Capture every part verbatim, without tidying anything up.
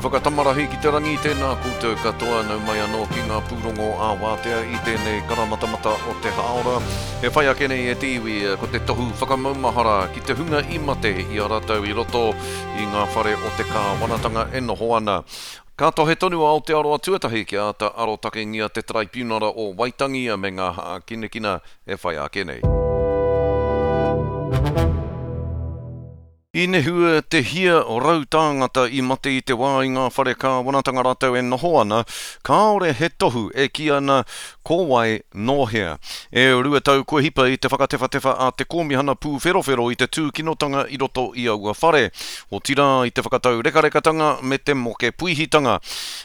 whakatamarahi ki te rangi, tēnā koutou katoa, nau mai anō ki ngā pūrongo ā-wātea i tēnei karamatamata o te hāora. E whai ake nei e te iwi, ko te tohu whakamaumahara ki te hunga i mate i a rātou i roto i ngā whare o te kāwanatanga e noho ana. Ka tohe tonu a Aotearoa Tuatahi kia āta arotakengia te Taraipiunara o Waitangi me ngā hākinakina e whai ake nei. I nehua te hia rau tāngata i mate i te wā i ngā whare kāwanatanga rātou e noho ana, kāore he tohu e kī ana ko wai nō hea. E rua tau kua hipa i te whakatewhatewha a te Kōmihana Pūwherowhero i te tūkinotanga i roto i aua whare, otirā i te whakatau rekarekatanga me te moke puihitanga.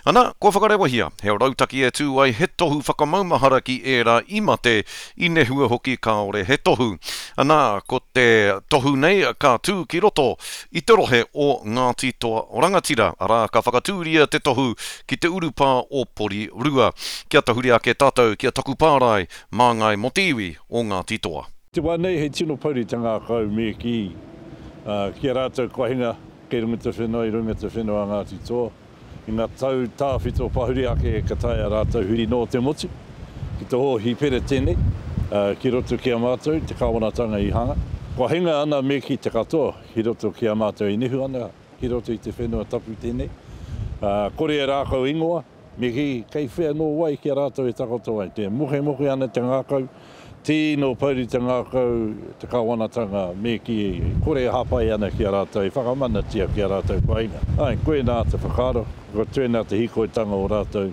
Ana, kua whakarewahia, he rautaki e tū ai he tohu whakamaumahara ki ērā i mate, i nehua hoki kāore he tohu. Ana, ko te tohu nei ka tū ki roto i te rohe o Ngāti Toa Rangatira, arā ka whakatūria te tohu ki te urupā o Porirua. Kia tahuri ake tātou ki a Taku Pārae, māngai mō te iwi o Ngāti Toa. Te wā nei he tino pouri te ngākau me kī ki a rātou kua hinga kei runga te whenua i runga te whenua a Ngāti Toa. I ngā tau tāwhito pahuri ake ka taea rātou huri noa te motu ki te hōhipera tēnei ki roto ki a mātou te kāwanatanga i hanga. Kua hinga ana me kī te katoa ki roto ki a mātou e nehu ana ki roto i te whenua tapu tēnei. Kore e rākau ingoa, me kī kei whea nō wai ki a rātou e takoto ai. Te mokemoke ana te ngākau, tīno pouri te ngākau, te kāwanatanga, me kī kore e hāpai ana ki a rātou, e whakamanatia ki a rātou kua hinga. Āe, koinā te whakaaro, ko tēnā te hīkoitanga o rātou.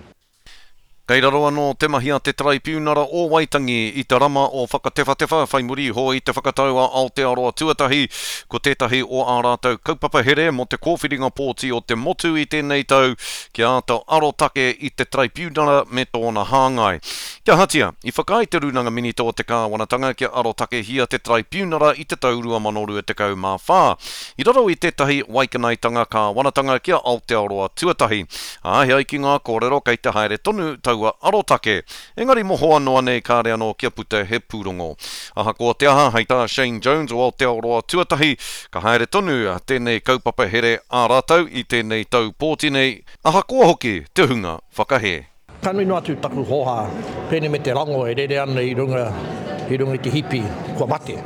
Kei raro anō te mahi a te Taraipiunara o Waitangi i te rama o Whakatewhatewha whai muri iho i te whakatau a Aotearoa Tuatahi ko tētahi o ā rātou kaupapa here mō te kōwhiringa pōti o te motu i tēnei tau kia āta arotake i te Taraipiunara me tōna hāngai. Kia ahatia, i whakaae te Rūnanga Minita o te Kāwanatanga kia arotakehia te Taraipiunara i te tau rua mano rua tekau mā whā i raro i tētahi waikanaetanga kāwanatanga ki a Aotearoa Tuatahi. Ā, he ai ki ngā kōrero kei te haere tonu taua arotake. Engari mohoa noa nei kāre anō kia puta he pūrongo. Ahakoa te aha, hei tā Shane Jones o Aotearoa Tuatahi, ka haere tonu tēnei kaupapa here ā rātou i tēnei tau pōti nei, ahakoa hoki te hunga whakahē. Ka nui noa atu taku hōhā, pēnei me te rango e rere ana i runga, i runga i te hipi, kua mate.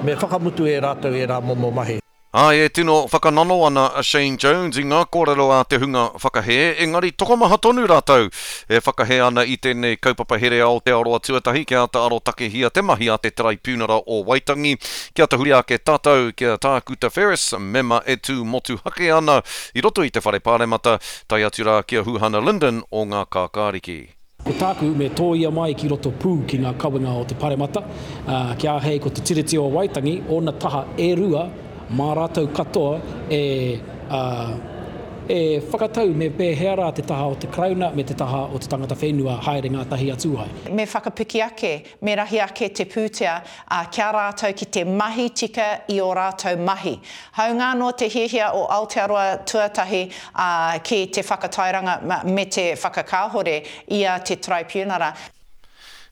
Me whakamutu e rātou ērā momo mahi. Āe, e tino whakanano ana a Shane Jones i ngā kōrero a te hunga whakahē, engari tokomaha tonu rātou e whakahē ana i tēnei kaupapa here Aotearoa Tuatahi kia āta arotakehia te mahi a te Taraipiunara o Waitangi. Kia tahuri ake tātou ki a Tākuta Ferris, mema e tū motuhake ana i roto i te Whare Pāremata, tae atu rā ki a Huhana Lyndon o Ngā Kākāriki. Ko tāku, me tōia mai ki roto pū ki ngā kawenga o te Paremata, ā, kia āhei ko te Tiriti o Waitangi, ōna taha e rua, mā rātou katoa e, ā, e whakatau me pēhea rā te taha o te Karauna me te taha o te tangata whenua haere ngātahi atu ai. Me whakapiki ake, me rahi ake te pūtea ki a rātou ki te mahi tika i ō rātou mahi. Hāunga anō te hiahia o Aotearoa Tuatahi ki te whakatairanga me te whakakāhore i a te Taraipiunara.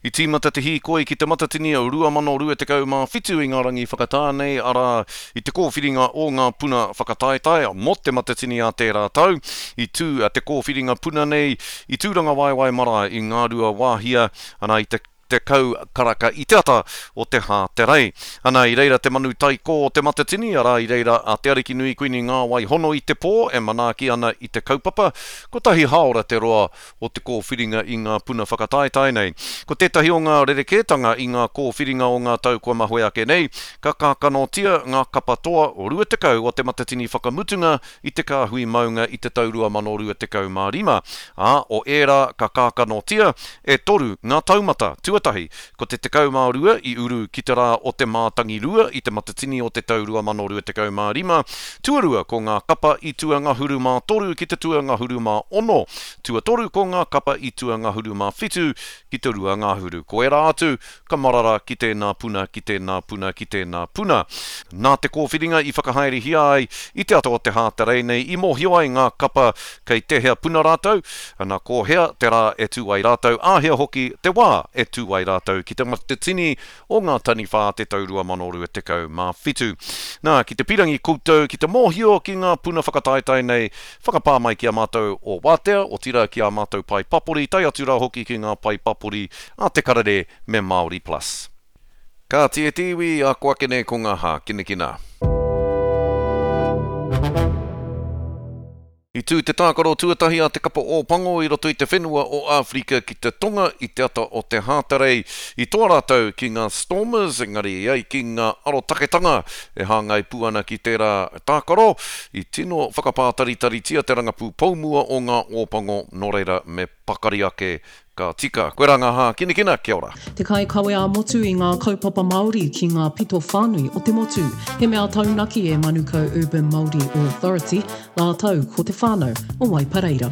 I tīmata te hīkoi ki Te Matatini rua mano rua tekau mā whitu i ngā rangi whakatā nei, arā, i te kōwhiringa o ngā puna whakataetae mō Te Matatini a tērā tau. I tū te kōwhiringa puna nei i Tūrangawaewae marae i Ngāruawāhia, ana, i te tekau karaka i te ata o te Hāterei. Ana, i reira te manu taikō o Te Matatini, arā, i reira a Te Arikinui Kuini Ngāwai Hono i te pō e manaaki ana i te kaupapa. Kotahi hāora te roa o te kōwhiringa i ngā puna whakataetae nei. Ko tētahi o ngā rerekētanga i ngā kōwhiringa o ngā tau kua mahue ake nei, ka kākanotia ngā kapa toa rua tekau o Te Matatini whakamutunga i te kāhui maunga i te tau rua mano rua tekau mā rima, ā, o ērā ka kākanotia e toru ngā taumata. Tuatahi, ko te tekau mā rua i uru ki te rā o te mātangirua i Te Matatini o te tau rua mano rua tekau mā rima, tuarua ko ngā kapa i tuangahuru mā toru ki te tuangahuru mā ono, tuatoru ko ngā kapa i tuangahuru mā whitu ki te rua ngahuru. Ko ērā atu, ka marara ki tēnā puna, ki tēnā puna, ki tēnā puna. Nā te kōwhiringa i whakahaerehia ai i te ata o te Hāterei nei i mōhio ai ngā kapa kei tēhea puna rātou, ana ko hea te rā e tū ai rātou, āhea hoki te wā e tū tū ai rātou ki te Matatini o ngā Taniwha te tau rua mano rua tekau mā whitu. Nā, ki te pirangi koutou ki te mōhio ki ngā puna whakataetae nei, whakapā mai ki a mātou o Wātea, otirā ki ā mātou pae papori, tae atu rā hoki ki ngā pae papori a Te Karere me Māori Plus. Kāti e te iwi, ako ake nei ko ngā hākinakina. I tū te tākaro tuatahi a te kapa Ōpango i roto i te whenua o Āwherika ki te Tonga i te ata o te Hātarei. I toa rātou ki ngā Stormers, engari i ai ki ngā arotaketanga e hāngai pū ana ki tērā tākaro, i tino whakapātaritaritia te rangapū poumua o ngā Ōpango, nō reira me pakari ake ka tika. Koe rā ngā hākinakina, kia ora. Te kaikawe ā-motu i ngā kaupapa Māori ki ngā pito whānui o te motu. He mea taunaki e Manukau Urban Māori Authority, rātou ko te whānau o Waipareira.